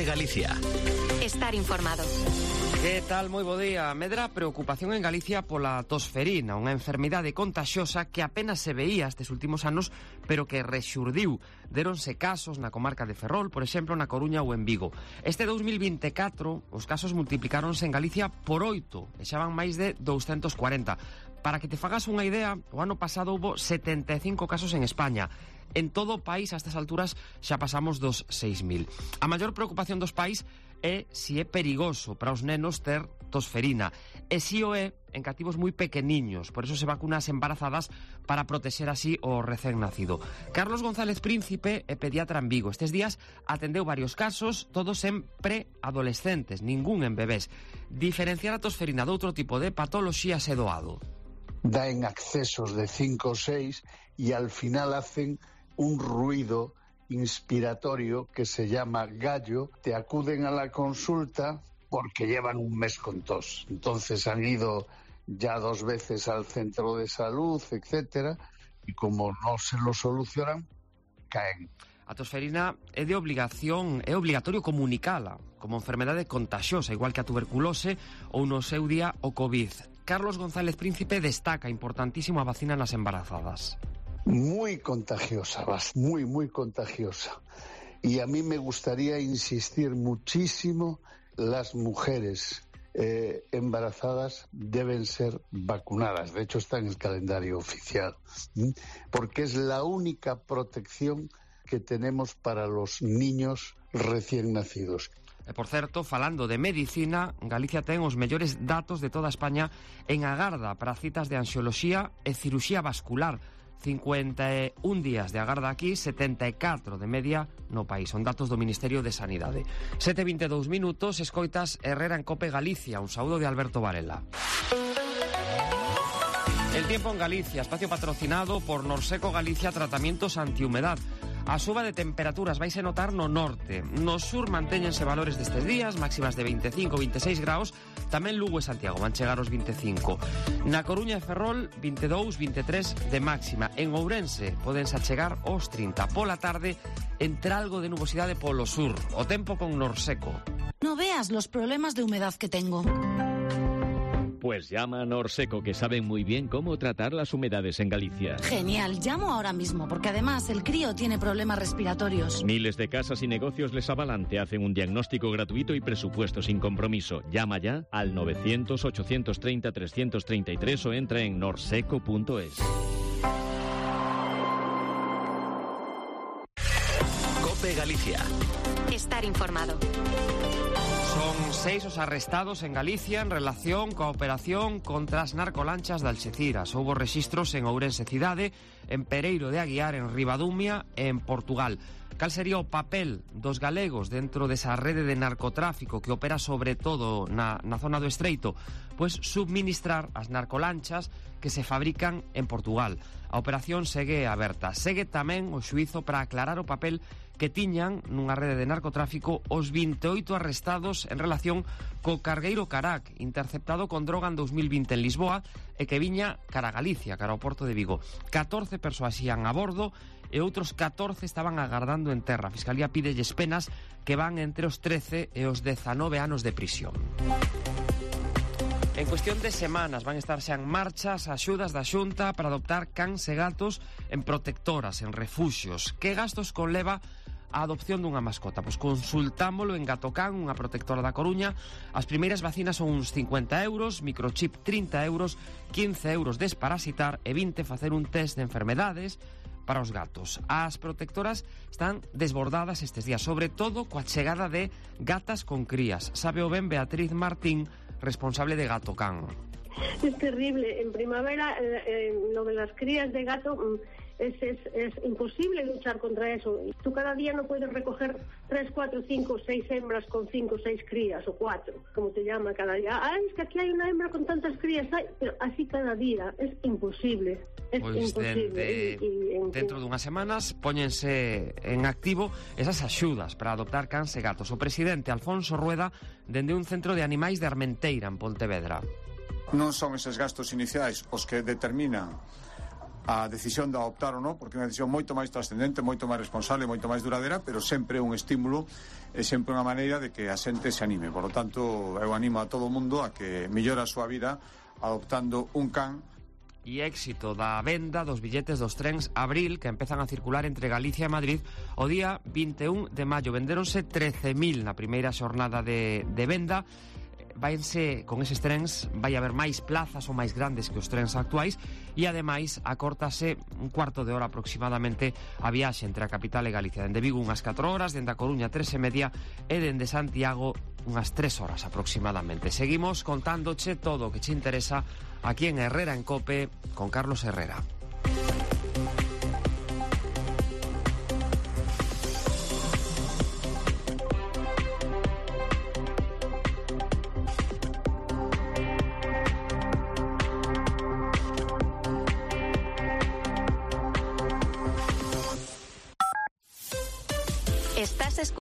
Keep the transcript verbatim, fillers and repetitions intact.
COPE Galicia. Estar informado. Que tal? Moi bo día. Medra a preocupación en Galicia pola tosferina, unha enfermidade contaxiosa que apenas se veía estes últimos anos, pero que rexurdiu. Déronse casos na comarca de Ferrol, por exemplo, na Coruña ou en Vigo. Este dous mil vinte e catro, os casos multiplicáronse en Galicia por oito, e xa van máis de douscentos cuarenta. Para que te fagas unha idea, o ano pasado houbo setenta e cinco casos en España. En todo o país, a estas alturas, xa pasamos dos seis mil. A maior preocupación dos pais é se é perigoso para os nenos ter tosferina. E si o é en cativos moi pequeniños, por eso se vacuna as embarazadas para protexer así o recén nacido. Carlos González Príncipe é pediatra en Vigo. Estes días atendeu varios casos, todos en preadolescentes, ningún en bebés. Diferenciar a tosferina de outro tipo de patoloxías é doado. Da en accesos de cinco ou seis e al final hacen un ruido inspiratorio que se llama gallo. Te acuden a la consulta porque llevan un mes con tos. Entonces han ido ya dos veces al centro de salud, etcétera, y como no se lo solucionan, caen. A tosferina é de obligación, é obligatorio comunicala como enfermedade contagiosa, igual que a tuberculose ou no seu día o COVID. Carlos González Príncipe destaca importantísimo a vacina nas embarazadas. Muy contagiosa, muy, muy contagiosa. Y a mí me gustaría insistir muchísimo, las mujeres eh, embarazadas deben ser vacunadas. De hecho, está en el calendario oficial, ¿sí? Porque es la única protección que tenemos para los niños recién nacidos. E, por certo, falando de medicina, Galicia ten os mellores datos de toda España en agarda para citas de anxioloxía e ciruxía vascular. cincuenta e un días de agarda aquí, setenta e catro de media no país. Son datos do Ministerio de Sanidade. sete e vinte e dous minutos, escoitas Herrera en COPE Galicia. Un saúdo de Alberto Varela. El tiempo en Galicia, espacio patrocinado por Norseco Galicia Tratamientos Antihumedad. A suba de temperaturas vaise notar no norte. No sur mantéñense valores destes días, máximas de veinticinco a veintiséis graus. Tamén Lugo e Santiago van chegar aos veinticinco. Na Coruña e Ferrol, veinte e dous a vinte e tres de máxima. En Ourense podense chegar aos trinta. Pola tarde, entre algo de nubosidade polo sur. O tempo con Norseco. No veas los problemas de humedad que tengo. Pues llama a Norseco, que saben muy bien cómo tratar las humedades en Galicia. Genial, llamo ahora mismo, porque además el crío tiene problemas respiratorios. Miles de casas y negocios les avalan, te hacen un diagnóstico gratuito y presupuesto sin compromiso. Llama ya al novecientos, ochocientos treinta, trescientos treinta y tres o entra en norseco punto es. COPE Galicia. Estar informado. Son seis os arrestados en Galicia en relación coa operación contra as narcolanchas de Alxeciras. Houbo rexistros en Ourense cidade, en Pereiro de Aguiar, en Ribadumia e en Portugal. Cal sería o papel dos galegos dentro desa rede de narcotráfico que opera sobre todo na, na zona do Estreito? Pois subministrar as narcolanchas que se fabrican en Portugal. A operación segue aberta. Segue tamén o xuízo para aclarar o papel que tiñan nunha rede de narcotráfico os vinte e oito arrestados en relación co cargueiro Carac, interceptado con droga en dos mil vinte en Lisboa e que viña cara a Galicia, cara ao Porto de Vigo. catorce persoas ían a bordo e outros catorce estaban agardando en terra. A Fiscalía pídelles penas que van entre os trece e os dezanove anos de prisión. En cuestión de semanas van estar xa en marcha as axudas da Xunta para adoptar cans e gatos en protectoras, en refuxios. Que gastos conleva a adopción dunha mascota? Pois consultámolo en Gatocan, unha protectora da Coruña. As primeiras vacinas son uns cincuenta euros, microchip trinta euros, quince euros desparasitar e vinte facer un test de enfermedades para os gatos. As protectoras están desbordadas estes días, sobre todo coa chegada de gatas con crías. Sabe o ben Beatriz Martín, responsable de Gatocan. Es terrible. En primavera, eh, eh, lo de las crías de gato es, es, es imposible luchar contra eso. Tú cada día no puedes recoger tres, cuatro, cinco, seis hembras con cinco, seis crías, o cuatro, como te llama cada día. Ah, es que aquí hay una hembra con tantas crías, ay, pero así cada día es imposible. Es Pois imposible. dende, y, y, en dentro dunhas semanas póñense en activo esas axudas para adoptar cans e gatos. O presidente Alfonso Rueda dende un centro de animais de Armenteira, en Pontevedra. Non son eses gastos iniciais os que determinan a decisión de adoptar ou non, porque é unha decisión moito máis trascendente, moito máis responsable, moito máis duradeira, pero sempre un estímulo e sempre unha maneira de que a xente se anime. Por lo tanto, eu animo a todo o mundo a que mellore a súa vida adoptando un can. E éxito da venda dos billetes dos trens Abril que empezan a circular entre Galicia e Madrid o día vinte e un de maio. Vendéronse trece mil na primeira xornada de, de venda. Vaense, con eses trens vai haber máis plazas ou máis grandes que os trens actuais e ademais acórtase un cuarto de hora aproximadamente a viaxe entre a capital e Galicia. Dende Vigo unhas catro horas, dende a Coruña tres e media e dende Santiago unhas tres horas aproximadamente. Seguimos contándoche todo o que che interesa aquí en Herrera en Cope con Carlos Herrera. Estás escuchando